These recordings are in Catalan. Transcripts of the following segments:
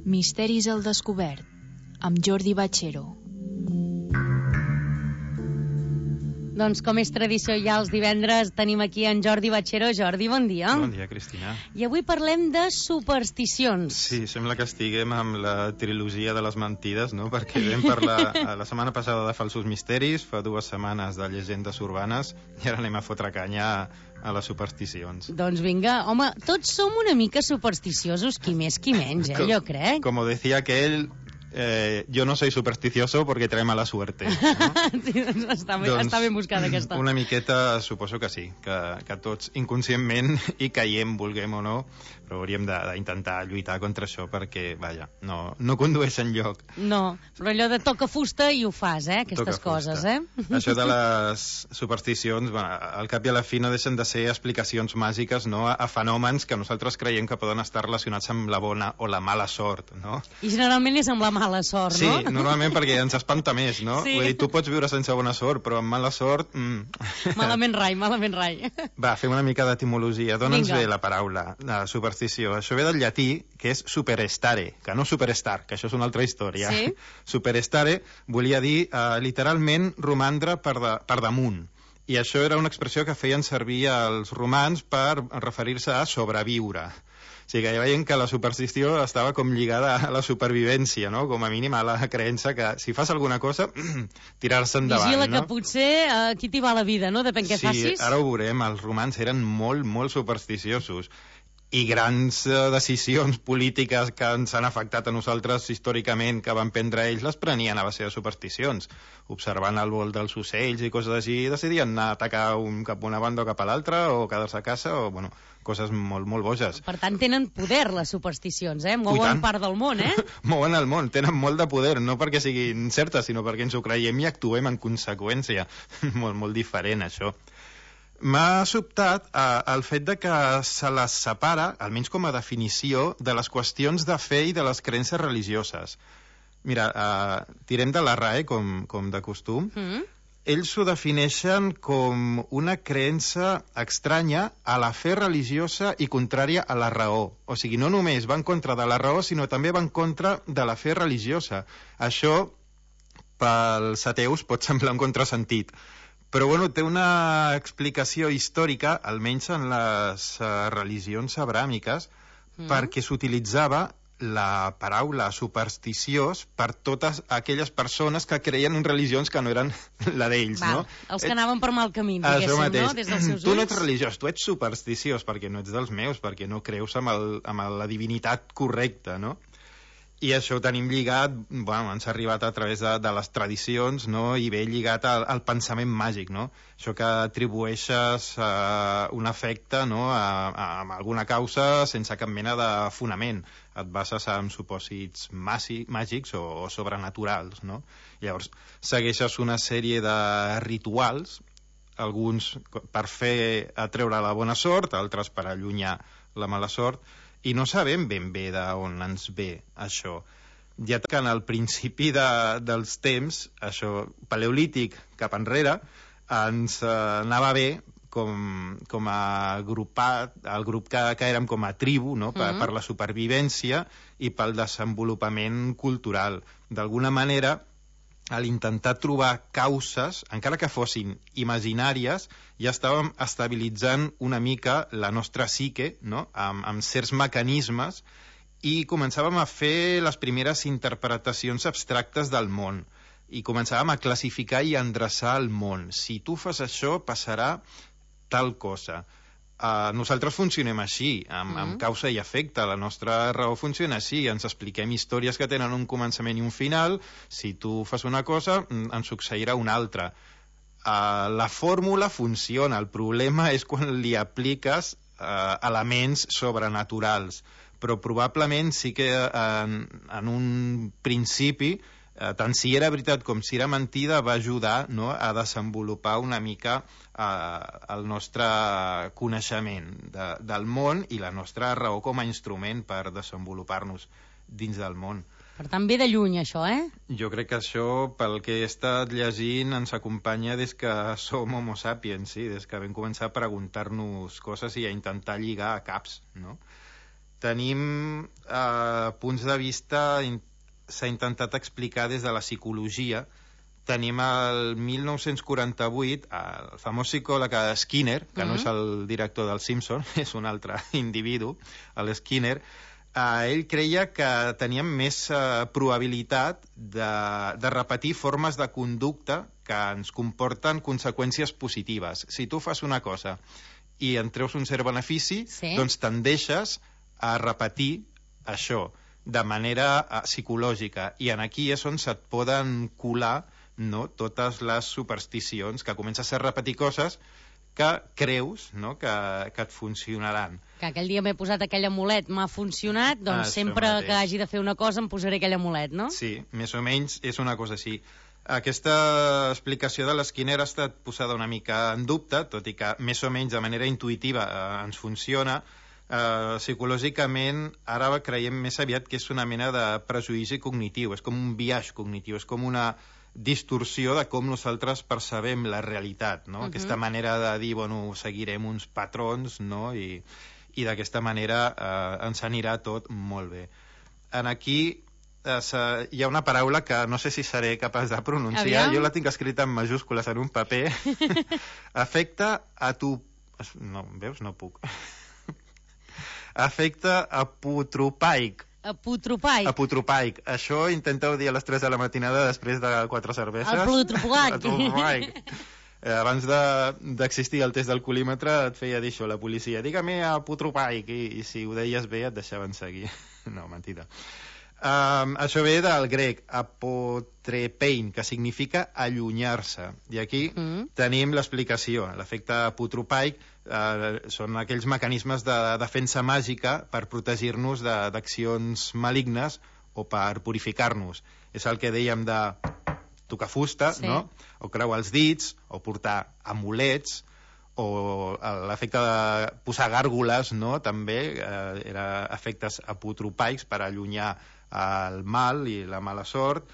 Misteris al descobert, amb Jordi Bachero. Doncs com és tradició ja els divendres tenim aquí en Jordi Bachero. Jordi, bon dia. Bon dia, Cristina. I avui parlem de supersticions. Sí, sembla que estiguem amb la trilogia de les mentides, no? Perquè vam parlar la setmana passada de falsos misteris, fa 2 setmanes de llegendes urbanes, i ara anem a fotre canya a les supersticions. Doncs vinga, home, tots som una mica supersticiosos, qui més qui menys, jo crec. Como decía aquel, yo no soy supersticioso porque trae mala suerte. No? Sí, doncs està ben buscada aquesta. Una miqueta suposo que sí, que tots inconscientment hi caiem, vulguem o no, però hauríem d'intentar lluitar contra això perquè, vaja, no condueix enlloc. No, però allò de toca fusta i ho fas, aquestes coses, Això de les supersticions, bueno, al cap i a la fi no deixen de ser explicacions màgiques, no?, a fenòmens que nosaltres creiem que poden estar relacionats amb la bona o la mala sort, no? I generalment és amb la mala sort, no? Sí, normalment perquè ens espanta més, no? Sí. Vull dir, tu pots viure sense bona sort, però amb mala sort... Malament rai. Va, fem una mica d'etimologia. D'on ens ve la paraula, la superstició? Això ve del llatí, que és superestare, que no superstar, que això és una altra història. Sí? Superestare volia dir literalment romandre per damunt. I això era una expressió que feien servir els romans per referir-se a sobreviure. O sigui que ja veiem que la superstició estava com lligada a la supervivència, no? Com a mínim a la creença que si fas alguna cosa, tirar-se endavant, vigila, no? que potser aquí t'hi va la vida, no? Depèn què facis. Sí, ara ho veurem, els romans eren molt, molt supersticiosos. I grans decisions polítiques que ens han afectat a nosaltres històricament, que van prendre ells, les prenien a base de supersticions. Observant el vol dels ocells i coses així, decidien anar a atacar cap a una banda o cap a l'altra, o quedar-se a casa, o, bueno, coses molt, molt boges. Per tant, tenen poder, les supersticions, Mouen part del món, Mouen el món, tenen molt de poder, no perquè siguin certes, sinó perquè ens ho creiem i actuem en conseqüència. Molt, molt diferent, això. M'ha sobtat el fet de que se les separa, almenys com a definició, de les qüestions de fe i de les creences religioses. Mira, tirem de la RAE, com de costum. Ells ho defineixen com una creença estranya a la fe religiosa i contrària a la raó. O sigui, no només va en contra de la raó, sinó també va en contra de la fe religiosa. Això, pels ateus, pot semblar un contrasentit. Però bueno, té una explicació històrica, almenys en les religions abràmiques, perquè s'utilitzava la paraula supersticiós per totes aquelles persones que creien en religions que no eren la d'ells, no? Els que anaven per mal camí, diguéssim, no? Des dels seus ulls. Tu no ets religiós, tu ets supersticiós, perquè no ets dels meus, perquè no creus amb la divinitat correcta, no? I això ho tenim lligat, bueno, ens ha arribat a través de les tradicions, no? I ve lligat al pensament màgic, no? Això que atribueixes un efecte, no? a alguna causa sense cap mena de fonament. Et bases en supòsits màgics o sobrenaturals, no? Llavors, segueixes una sèrie de rituals, alguns per fer atreure la bona sort, altres per allunyar la mala sort, i no sabem ben bé d'on ens ve això. Ja que en el principi dels temps, això paleolític cap enrere, ens anava bé com a agrupat, el grup que érem com a tribu, no? Per la supervivència i pel desenvolupament cultural. D'alguna manera, a l'intentar trobar causes, encara que fossin imaginàries, ja estàvem estabilitzant una mica la nostra psique, no? amb certs mecanismes, i començàvem a fer les primeres interpretacions abstractes del món, i començàvem a classificar i endreçar el món. Si tu fas això, passarà tal cosa. Nosaltres funcionem així, amb causa i efecte. La nostra raó funciona així. Ens expliquem històries que tenen un començament i un final. Si tu fas una cosa, en succeirà una altra. La fórmula funciona. El problema és quan li apliques elements sobrenaturals. Però probablement sí que en un principi, tant si era veritat com si era mentida, va ajudar, no?, a desenvolupar una mica el nostre coneixement del món i la nostra raó com a instrument per desenvolupar-nos dins del món. Per tant, ve de lluny, això, Jo crec que això, pel que he estat llegint, ens acompanya des que som homo sapiens, sí? Des que vam començar a preguntar-nos coses i a intentar lligar a caps, no? tenim punts de vista, s'ha intentat explicar des de la psicologia. Tenim el 1948 el famós psicòleg Skinner, que no és el director del Simpson, és un altre individu, l'Skinner. Ell creia que teníem més probabilitat de repetir formes de conducta que ens comporten conseqüències positives. Si tu fas una cosa i en treus un cert benefici, doncs tendeixes a repetir això de manera psicològica. I aquí és on se't poden colar, no, totes les supersticions, que comences a repetir coses que creus, no, que et funcionaran. Que aquell dia m'he posat aquell amulet, m'ha funcionat, doncs sempre que hagi de fer una cosa em posaré aquell amulet, no? Sí, més o menys és una cosa així. Aquesta explicació de l'Skinner ha estat posada una mica en dubte, tot i que més o menys de manera intuïtiva ens funciona. Psicològicament ara creiem més aviat que és una mena de prejudici cognitiu, és com un biaix cognitiu, és com una distorsió de com nosaltres percebem la realitat, no? Aquesta manera de dir, bueno, seguirem uns patrons, no? I d'aquesta manera ens anirà tot molt bé. Aquí hi ha una paraula que no sé si seré capaç de pronunciar. Jo la tinc escrita en majúscules en un paper. Afecta a tu... No, veus? No puc. Afecta apotropaic. Apotropaic. Això intenteu dir a les 3 de la matinada després de 4 cerveses. Apotropaic. Abans d'existir el test d'alcoholímetre et feia dir això la policia. Digue-me apotropaic. I si ho deies bé et deixaven seguir. No, mentida. Això ve del grec apotrepein, que significa allunyar-se. I aquí tenim l'explicació. L'efecte apotropaic són aquells mecanismes de defensa màgica per protegir-nos d'accions malignes o per purificar-nos. És el que dèiem de tocar fusta, no? O creuar els dits, o portar amulets, o l'efecte de posar gàrgoles, no? També era efectes apotropaics per allunyar el mal i la mala sort.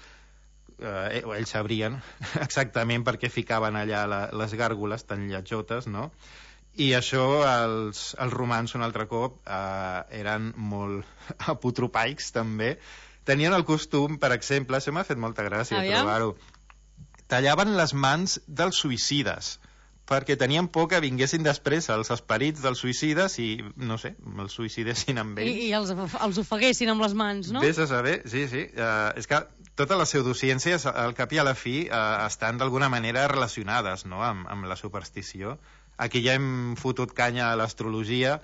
Ells sabrien exactament per què ficaven allà les gàrgoles tan lletjotes, no? I això els romans un altre cop eren molt apotropaics també. Tenien el costum, per exemple, això m'ha fet molta gràcia trobar-ho, tallaven les mans dels suïcides perquè tenien por que vinguessin després els esperits dels suïcides i, no sé, els suïcidessin amb ells. I els ofeguessin amb les mans, no? Vés a saber, sí. És que totes les pseudociències, al cap i a la fi, estan d'alguna manera relacionades, no?, amb la superstició. Aquí ja hem fotut canya a l'astrologia,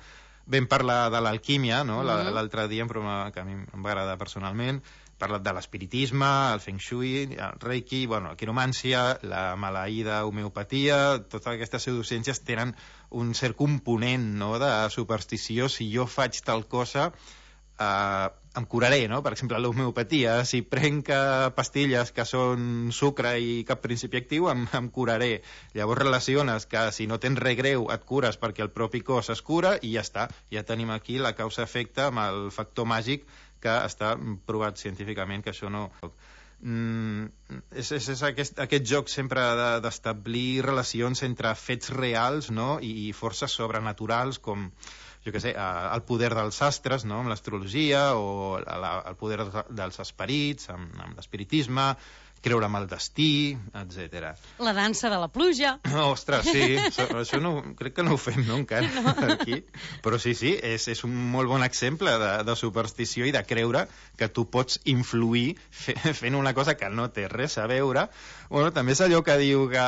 vam parlar de l'alquímia, no?, l'altre dia, que a mi em va agradar personalment, parlat de l'espiritisme, el feng shui, el reiki, bueno, la quiromància, la maleïda homeopatia, totes aquestes pseudociències tenen un cert component, no?, de superstició. Si jo faig tal cosa, em curaré, no? Per exemple, l'homeopatia, si prenc pastilles que són sucre i cap principi actiu, em curaré. Llavors relaciones que si no tens res greu et cures perquè el propi cos es cura i ja està. Ja tenim aquí la causa-efecte amb el factor màgic que està provat científicament que això no... És aquest joc sempre d'establir relacions entre fets reals, no?, i forces sobrenaturals com, jo què sé, el poder dels astres, no?, amb l'astrologia, o el poder dels esperits, amb l'espiritisme, creure amb el destí, etc. La dansa de la pluja. Ostres, sí, això no, crec que no ho fem, no, encara, aquí. Però sí, és un molt bon exemple de superstició i de creure que tu pots influir fent una cosa que no té res a veure. Bueno, també és allò que diu que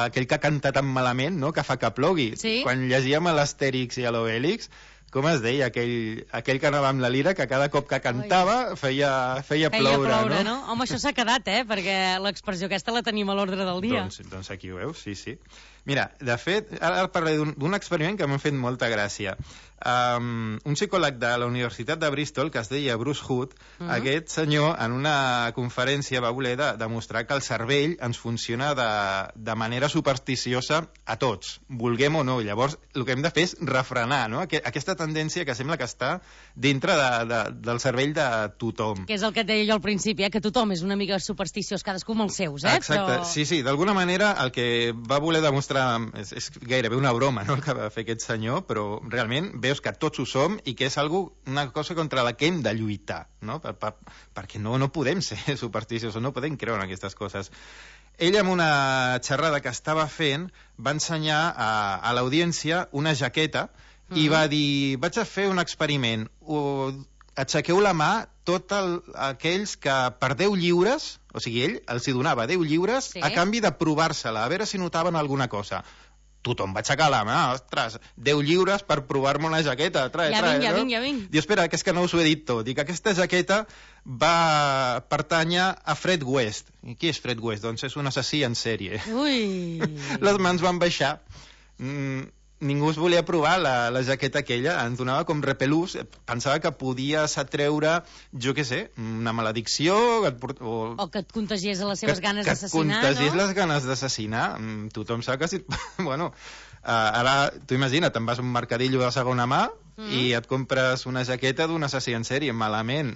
aquell que canta tan malament, no?, que fa que plogui. Sí? Quan llegíem a l'Astèrix i a l'Obèlix, com es deia, aquell que anava amb la lira, que cada cop que cantava feia ploure, no? Home, això s'ha quedat, perquè l'expressió aquesta la tenim a l'ordre del dia. Doncs aquí ho veus, sí. Mira, de fet, ara parlaré d'un experiment que m'ha fet molta gràcia. Un psicòleg de la Universitat de Bristol, que es deia Bruce Hood, aquest senyor, en una conferència va voler demostrar que el cervell ens funciona de manera supersticiosa a tots, vulguem o no. Llavors, el que hem de fer és refrenar, no?, aquesta tendència que sembla que està dintre del cervell de tothom. Que és el que et deia jo al principi, que tothom és una mica supersticiós, cadascú amb els seus, Exacte, però... sí, d'alguna manera el que va voler demostrar és gairebé una broma, no?, el que va fer aquest senyor, però realment veu veus que tots ho som i que és una cosa contra la que hem de lluitar, no? Perquè no podem ser supersticiosos, no podem creure en aquestes coses. Ell, en una xerrada que estava fent, va ensenyar a l'audiència una jaqueta i va dir, vaig a fer un experiment, aixequeu la mà tots aquells que per 10 lliures, o sigui, ell els hi donava 10 lliures a canvi de provar-se-la, a veure si notaven alguna cosa. Tothom va aixecar la mà, ostres, 10 lliures per provar-me una jaqueta, ja vinc. Diu, espera, que és que no us ho he dit tot. Dic, aquesta jaqueta va pertànyer a Fred West. I qui és Fred West? Doncs és un assassí en sèrie. Ui! Les mans van baixar. Ningú es volia provar la jaqueta aquella, ens donava com repelús, pensava que podies atreure, jo què sé, una maledicció... O que et contagiés les seves ganes d'assassinar, no? Que et contagiés les ganes d'assassinar. Tothom sap que si... Bueno, ara, tu imagina't, te'n vas a un mercadillo de segona mà i et compres una jaqueta d'un assassí en sèrie, malament.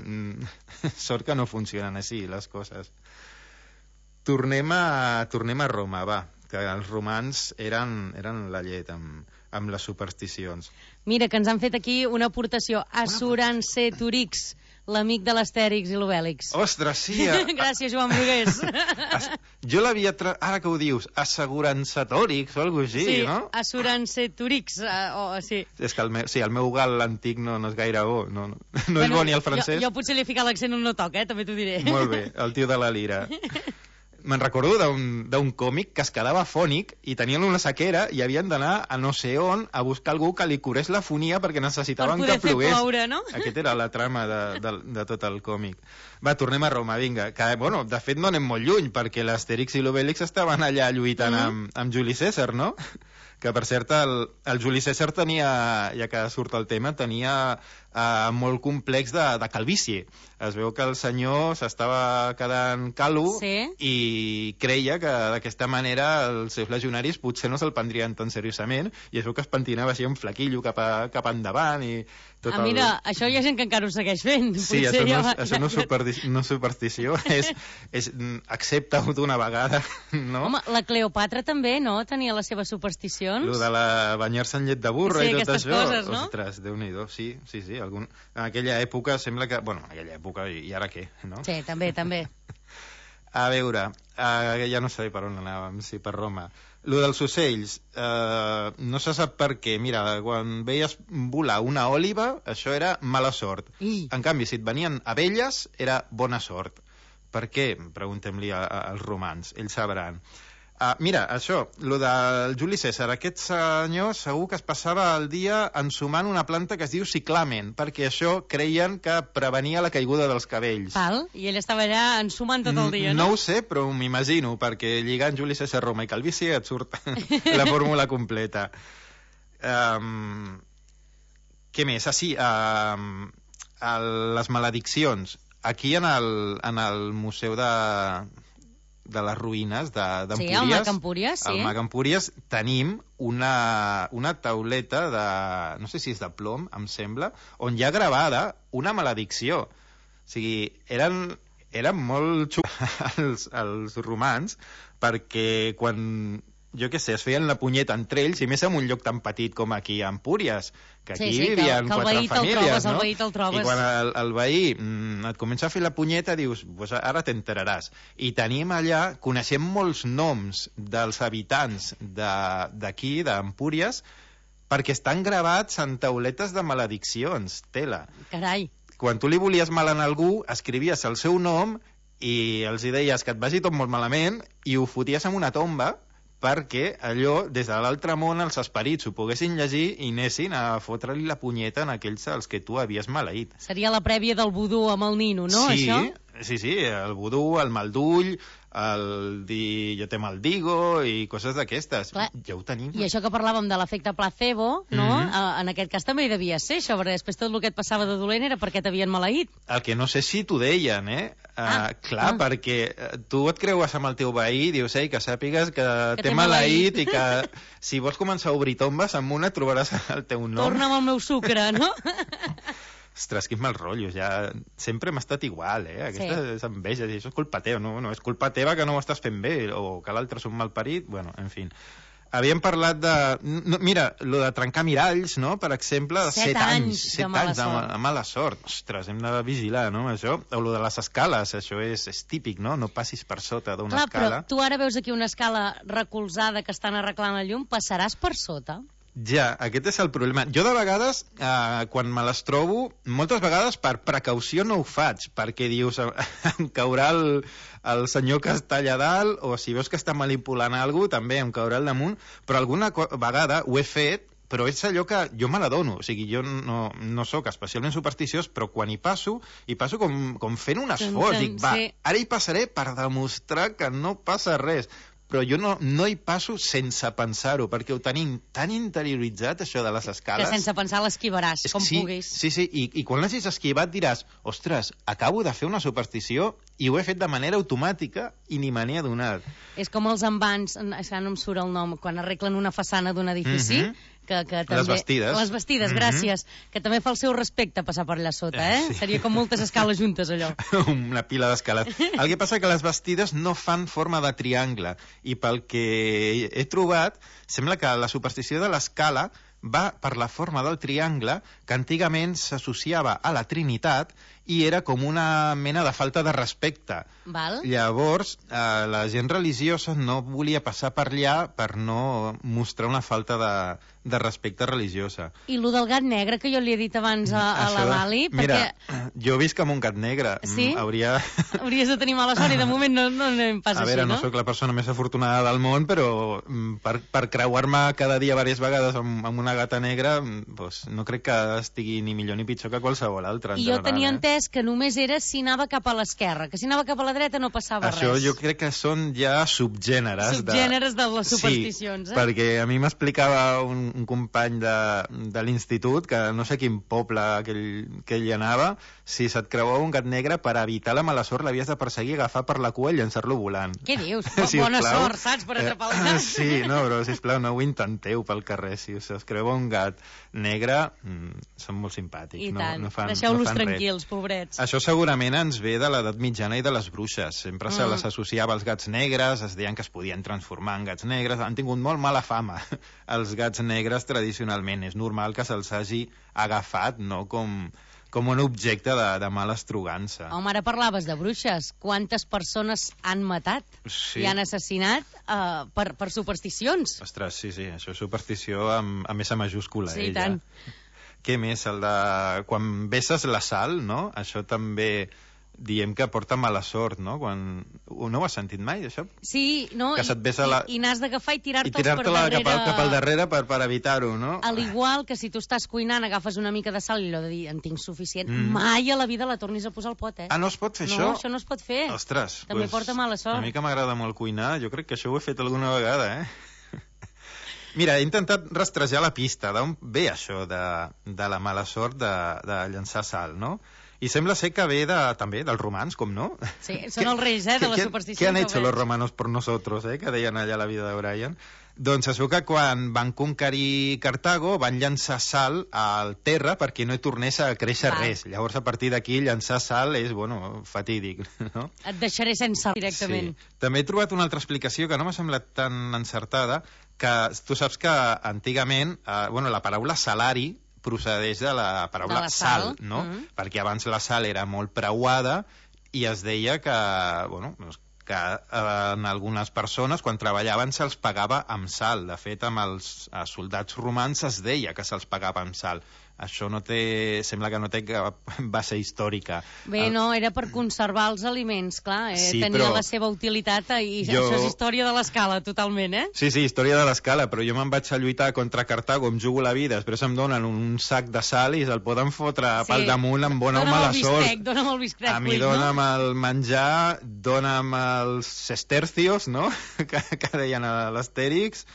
Sort que no funcionen així, les coses. Tornem a Roma, va, que els romans eren la llet amb les supersticions. Mira, que ens han fet aquí una aportació. Assuranceturix, l'amic de l'Astèrix i l'Obèlix. Ostres, sí! Gràcies, Joan Brugués. Jo l'havia... Ara que ho dius, assegurançatòrix o alguna cosa així, no? Sí, assuranceturix, sí. És que el meu gal antic no és gaire bo, no és bo ni el francès. Jo potser li he ficat l'accent on no toca, també t'ho diré. Molt bé, el tio de la lira. Me'n recordo d'un còmic que es quedava fònic i tenien una sequera i havien d'anar a no sé on a buscar algú que li curés la fonia perquè necessitaven que plogués. Per poder fer ploure, no? Aquesta era la trama de tot el còmic. Va, tornem a Roma, vinga. Que, bueno, de fet no anem molt lluny perquè l'Astèrix i l'Obèlix estaven allà lluitant amb Juli Cèsar, no? Que, per cert, el Juli Cèsar tenia, ja que surt el tema, tenia molt complex de calvície. Es veu que el senyor s'estava quedant calvo i creia que d'aquesta manera els seus legionaris potser no se'l prendrien tan seriosament i es veu que es pentinava així un flaquillo cap endavant i tot mira, això hi ha gent que encara ho segueix fent. Sí, això no és superstició, és accepta-ho d'una vegada, no? Home, la Cleopatra també, no? Tenia les seves supersticions. Lo de banyar-se en llet de burra i tot això. Coses, no? Ostres, Déu-n'hi-do, sí. En aquella època sembla que... Bueno, en aquella època, i ara què, no? Sí, també. A veure, ja no sé per on anàvem, si per Roma. Lo dels ocells, no se sap per què. Mira, quan veies volar una òliba, això era mala sort. En canvi, si et venien abelles, era bona sort. Per què? Preguntem-li als romans, ells sabran. Mira, això, lo del Juli Cèsar, aquest senyor segur que es passava el dia ensumant una planta que es diu ciclamen, perquè això creien que prevenia la caiguda dels cabells. I ell estava allà ensumant tot el dia, no? No ho sé, però m'imagino, perquè lligant Juli Cèsar, Roma i calvície et surt la fórmula completa. Què més? Les malediccions. Aquí en el Museu de les ruïnes d'Empúries. Sí, al Mag Empúries, sí. Al Mag Empúries tenim una tauleta de... no sé si és de plom, em sembla, on hi ha gravada una maledicció. O sigui, eren molt xups els romans perquè quan, jo què sé, es feien la punyeta entre ells, i més en un lloc tan petit com aquí a Empúries, que aquí vivien 4 famílies, no? I quan el veí et comença a fer la punyeta, dius, pues ara t'enteraràs. I tenim allà, coneixem molts noms dels habitants d'aquí, d'Empúries, perquè estan gravats en tauletes de malediccions, tela. Carai. Quan tu li volies mal a algú, escrivies el seu nom i els hi deies que et vagi tot molt malament i ho foties en una tomba perquè allò, des de l'altre món, els esperits ho poguessin llegir i anessin a fotre-li la punyeta en aquells als que tu havies maleït. Seria la prèvia del vudú amb el nino, no, això? Sí, el vudú, el mal d'ull, el dir jo te maldigo i coses d'aquestes. Ja ho tenim. I això que parlàvem de l'efecte placebo, no? En aquest cas també hi devia ser això, perquè després tot el que et passava de dolent era perquè t'havien maleït. El que no sé si t'ho deien, clar, perquè tu et creues amb el teu veí i dius, que sàpigues que t'he maleït i que si vols començar a obrir tombes, amb una trobaràs el teu nom. Torna'm el meu sucre, no? Ostres, quin mal rotllo, ja sempre m'ha estat igual, aquesta és enveja, això és culpa teva, no és culpa teva que no ho estàs fent bé, o que l'altre és un malparit, bueno, en fi. Havíem parlat de... No, mira, lo de trencar miralls, no?, per exemple, 7 anys de mala sort. Ostres, hem de vigilar, no?, això. O lo de les escales, això és típic, no? No passis per sota d'una escala. Clar, però tu ara veus aquí una escala recolzada que estan arreglant el llum, passaràs per sota? Ja, aquest és el problema. Jo de vegades, quan me les trobo, moltes vegades per precaució no ho faig, perquè dius, em caurà el senyor que està allà dalt, o si veus que està manipulant alguna cosa, també em caurà al damunt, però alguna vegada ho he fet, però és allò que jo me l'adono, o sigui, jo no sóc especialment supersticiós, però quan hi passo com fent un esforç, dic, va, ara hi passaré per demostrar que no passa res, però jo no hi passo sense pensar-ho, perquè ho tenim tan interioritzat, això de les escales... Que sense pensar l'esquivaràs, com puguis. Sí, i quan l'hagis esquivat diràs, ostres, acabo de fer una superstició i ho he fet de manera automàtica i ni me n'he adonat. És com els envans, ara no em surt el nom, quan arreglen una façana d'un edifici... Que també... Les bastides. Les bastides, gràcies. Que també fa el seu respecte passar per allà sota, Sí. Seria com moltes escales juntes, allò. Una pila d'escales. El que passa que les bastides no fan forma de triangle, i pel que he trobat, sembla que la superstició de l'escala va per la forma del triangle, que antigament s'associava a la Trinitat i era com una mena de falta de respecte. Val. Llavors, la gent religiosa no volia passar per allà per no mostrar una falta de respecte religiosa. I lo del gat negre, que jo li he dit abans a la Lali, mira, perquè... jo visc amb un gat negre. Sí? Hauries de tenir mala sort i de moment no anem pas així, no? No sóc la persona més afortunada del món, però per creuar-me cada dia diverses vegades amb una gata negra, doncs no crec que estigui ni millor ni pitjor que qualsevol altra. I jo tenia entès que només era si anava cap a l'esquerra, que si anava cap a la dreta no passava res. Això jo crec que són ja subgèneres. Subgèneres de les supersticions, Sí, perquè a mi m'explicava un company de l'institut, que no sé quin poble que ell anava, si se't creuava un gat negre, per evitar la mala sort l'havies de perseguir, agafar per la cua i llençar-lo volant. Què dius? Bona sort, saps, per atrapar el gat. Sí, no, però sisplau, no ho intenteu pel carrer. Si us creuava un gat negre, són molt simpàtics. I tant, no deixeu-los fan tranquils, pobrets. Això segurament ens ve de l'edat mitjana i de les bruixes. Sempre se les associava als gats negres, es deien que es podien transformar en gats negres. Han tingut molt mala fama els gats negres tradicionalment. És normal que se'ls hagi agafat, no?, com un objecte de mala estrugança. Home, ara parlaves de bruixes. Quantes persones han matat i han assassinat per supersticions? Ostres, sí, això és superstició amb S majúscula. Sí, tant. Què més? El de quan besses la sal, no? Això també diem que porta mala sort, no? No ho has sentit mai, això? Sí, no? Que se't besa I n'has d'agafar i tirar-te'ls per darrere... cap al darrere per evitar-ho, no? Al igual que si tu estàs cuinant, agafes una mica de sal i allò de dir, en tinc suficient, mai a la vida la tornis a posar al pot, Ah, no es pot fer això? No, això no es pot fer. Ostres, també porta mala sort. A mi que m'agrada molt cuinar, jo crec que això ho he fet alguna vegada, Mira, he intentat rastrejar la pista d'on ve això de la mala sort de llançar sal, no? I sembla ser que ve també dels romans, com no? Sí, són els reis, de la superstició. ¿Qué han hecho los romanos por nosotros, que deien allà la vida de Brian? Doncs es veu que quan van conquerir Cartago van llançar sal al terra perquè no hi tornés a créixer res. Llavors, a partir d'aquí, llançar sal és, fatídic, no? Et deixaré sense directament. Sí. També he trobat una altra explicació que no m'ha semblat tan encertada, que tu saps que antigament, la paraula salari procedeix de la paraula de la sal, no? Perquè abans la sal era molt preuada i es deia que, que en algunes persones, quan treballaven, se'ls pagava amb sal. De fet, amb els soldats romans es deia que se'ls pagava amb sal. Això sembla que no té cap base històrica. Bé, no, era per conservar els aliments, clar, tenia la seva utilitat i això és història de l'escala, totalment, Sí, història de l'escala, però jo me'n vaig a lluitar contra Cartago, em jugo la vida, després em donen un sac de sal i se'l poden fotre pel damunt amb bona o mala sort. Dona'm el bistec, a mi dona'm el menjar, dona'm els sestercios, no?, que deien a l'Astèrix,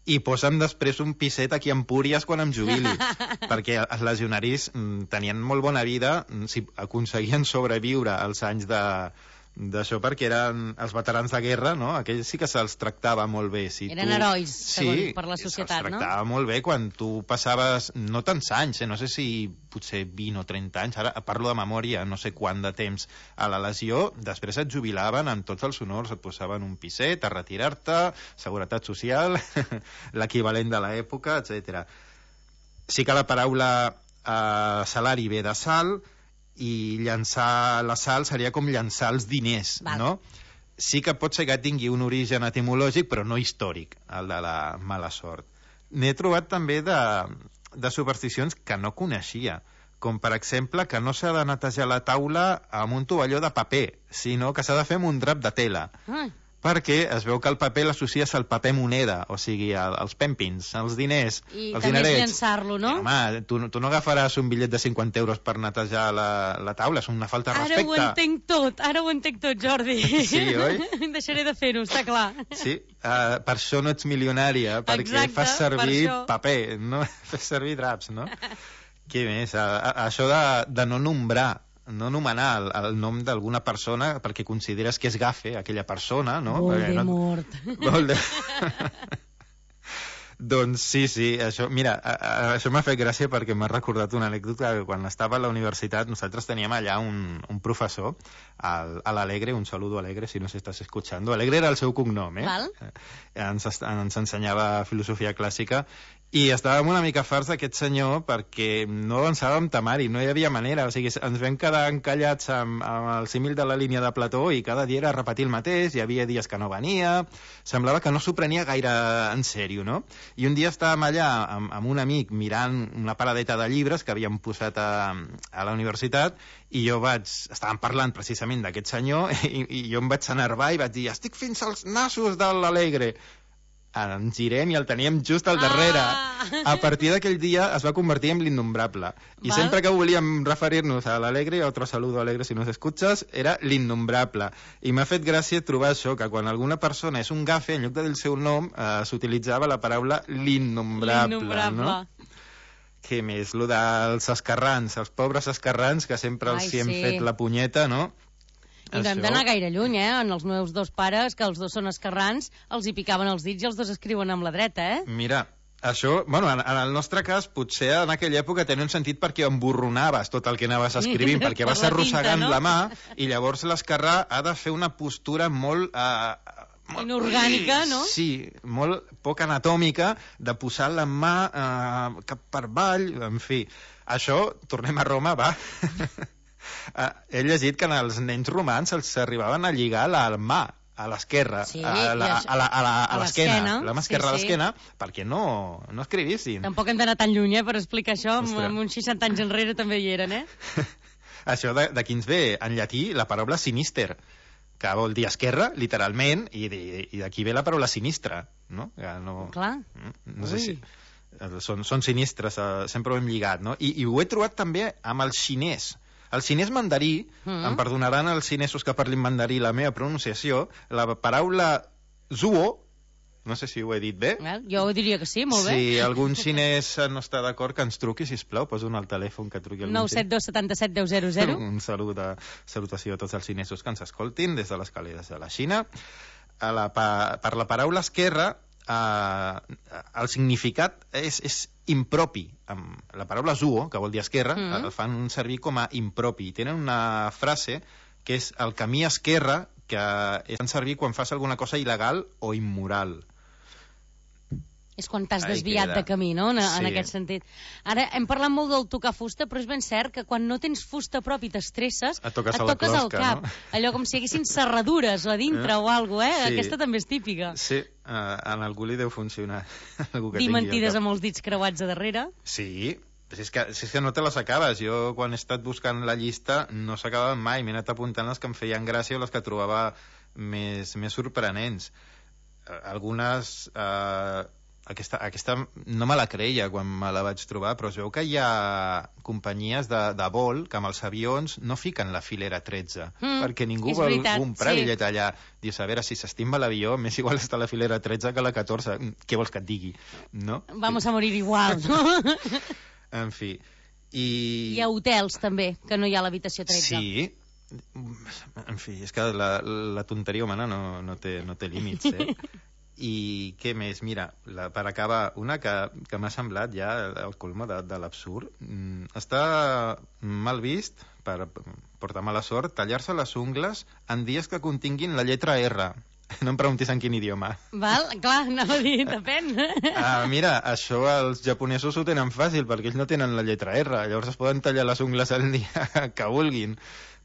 i posa'm després un piset aquí a Empúries quan em jubili, perquè els legionaris tenien molt bona vida si aconseguien sobreviure als anys D'això perquè eren els veterans de guerra, no? Aquells sí que se'ls tractava molt bé. Eren herois, segons per la societat, no? Se'ls tractava molt bé quan tu passaves no tants anys, no sé si potser 20 o 30 anys, ara parlo de memòria, no sé quant de temps a la legió, després et jubilaven amb tots els honors, et posaven un piset a retirar-te, seguretat social, l'equivalent de l'època, etc. Sí que la paraula salari ve de sal, i llançar la sal seria com llançar els diners, no? Sí que pot ser que tingui un origen etimològic, però no històric, el de la mala sort. N'he trobat també de supersticions que no coneixia, com per exemple que no s'ha de netejar la taula amb un tovalló de paper, sinó que s'ha de fer amb un drap de tela. Perquè es veu que el paper l'associes al paper moneda, o sigui, als pempins, als diners, i als també dinerets. és llençar-lo, no? Home, tu no agafaràs un bitllet de 50 euros per netejar la taula, és una falta de respecte. Ara ho entenc tot, Jordi. Sí, oi? Deixaré de fer-ho, està clar. Sí, per això no ets milionària, perquè exacte, fas servir per paper, no fas servir draps, no? Què més? Això de no nombrar, no anomenar el nom d'alguna persona perquè consideres que és gafe aquella persona, no? Voldemort. Doncs sí, això, mira, això m'ha fet gràcia perquè m'ha recordat una anècdota que quan estava a la universitat nosaltres teníem allà un professor, a l'Alegre, un saludo Alegre si no s'estàs escuchando. Alegre era el seu cognom, Val. Ens ensenyava filosofia clàssica i estàvem una mica farts d'aquest senyor perquè no avançàvem temari, no hi havia manera, o sigui, ens vam quedar encallats amb el símil de la línia de Plató i cada dia era repetir el mateix, hi havia dies que no venia, semblava que no s'ho prenia gaire en sèrio, no? I un dia estàvem allà amb un amic mirant una paradeta de llibres que havíem posat a la universitat i estàvem parlant precisament d'aquest senyor i jo em vaig enervar i vaig dir estic fins als nassos de l'Alegre. Ens girem i el teníem just al darrere. A partir d'aquell dia es va convertir en l'innombrable. I sempre que volíem referir-nos a l'Alegre, otro saludo Alegre si nos escuchas, era l'innombrable. I m'ha fet gràcia trobar això, que quan alguna persona és un gafe, en lloc del seu nom, s'utilitzava la paraula l'innombrable, no? Què més? Lo dels esquerrans, els pobres esquerrans, que sempre els hi hem fet la punyeta, no? I no hem d'anar gaire lluny, En els meus dos pares, que els dos són esquerrans, els hi picaven els dits i els dos escriuen amb la dreta, Mira, això, bueno, en el nostre cas, potser en aquella època tenia un sentit perquè emborronaves tot el que anaves escrivint, perquè vas arrossegant la mà, i llavors l'esquerrà ha de fer una postura molt... inorgànica, no? Sí, molt poc anatòmica, de posar la mà cap per avall, en fi. Això, tornem a Roma, va... He llegit que als nens romans els arribaven a lligar la mà a l'esquerra, a l'esquena, la mà esquerra a l'esquena, perquè no escrivissin. Tampoc hem d'anar tan lluny, per explicar això, amb uns 60 anys enrere també hi eren, Això d'aquí ens ve, en llatí, la paraula sinister, que vol dir esquerra, literalment, i d'aquí ve la paraula sinistra, no? Clar. No sé si... Són sinistres, sempre ho hem lligat, no? I ho he trobat també amb el xinès. El xinès mandarí, em perdonaran els xinesos que parlin mandarí la meva pronunciació, la paraula zuo, no sé si ho he dit bé. Jo diria que sí, molt bé. Si algun xinès no està d'acord, que ens truqui, sisplau, posa un al telèfon que truqui algun 972 77 10 00. Un salutació a tots els xinesos que ens escoltin des de les caleres de la Xina. Per la paraula esquerra, el significat és impropi. La paraula zuo, que vol dir esquerra, el fan servir com a impropi. Tenen una frase que és el camí esquerra, que es fan servir quan fas alguna cosa il·legal o immoral. És quan t'has desviat de camí, no?, en aquest sentit. Ara, hem parlat molt del tocar fusta, però és ben cert que quan no tens fusta prop i t'estresses, et toques al cap. No? Allò com si haguessin serradures a dintre o alguna cosa, Aquesta també és típica. Sí, en algú li deu funcionar. Dir mentides amb els dits creuats a darrere. Sí, si és que no te les acabes. Jo, quan he estat buscant la llista, no s'acabaven mai. M'he anat apuntant les que em feien gràcia o les que trobava més sorprenents. Algunes... Aquesta no me la creia quan me la vaig trobar, però es veu que hi ha companyies de vol que amb els avions no fiquen la filera 13, perquè ningú vol comprar bitllet allà. Dius, a veure, si s'estima l'avió, més igual està la filera 13 que la 14. Què vols que et digui? No? Vamos a morir igual, no? En fi. Hi ha hotels, també, que no hi ha l'habitació 13. Sí, En fi, és que la tonteria humana no té límits, eh? I què més? Mira, per acabar, una que m'ha semblat ja el colmo de l'absurd. Està mal vist, per portar mala sort, tallar-se les ungles en dies que continguin la lletra R. No em preguntis en quin idioma. Val, clar, anava a dir, depèn. Mira, això els japonesos ho tenen fàcil, perquè ells no tenen la lletra R, llavors es poden tallar les ungles el dia que vulguin.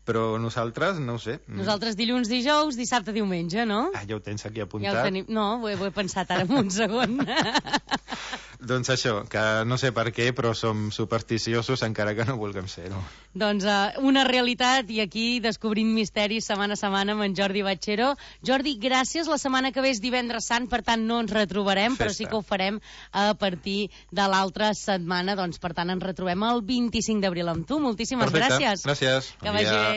Però nosaltres, no ho sé. Nosaltres dilluns, dijous, dissabte, diumenge, no? Ja ho tens aquí apuntat. Ja ho tenim. No, ho he pensat ara en un segon. Doncs això, que no sé per què, però som supersticiosos encara que no vulguem ser-ho. Doncs una realitat, i aquí descobrint misteris setmana a setmana amb en Jordi Batxero. Jordi, gràcies. La setmana que ve és divendres sant, per tant no ens retrobarem, però sí que ho farem a partir de l'altra setmana. Doncs per tant ens retrobem el 25 d'abril amb tu. Moltíssimes gràcies. Gràcies. Que vagi bé.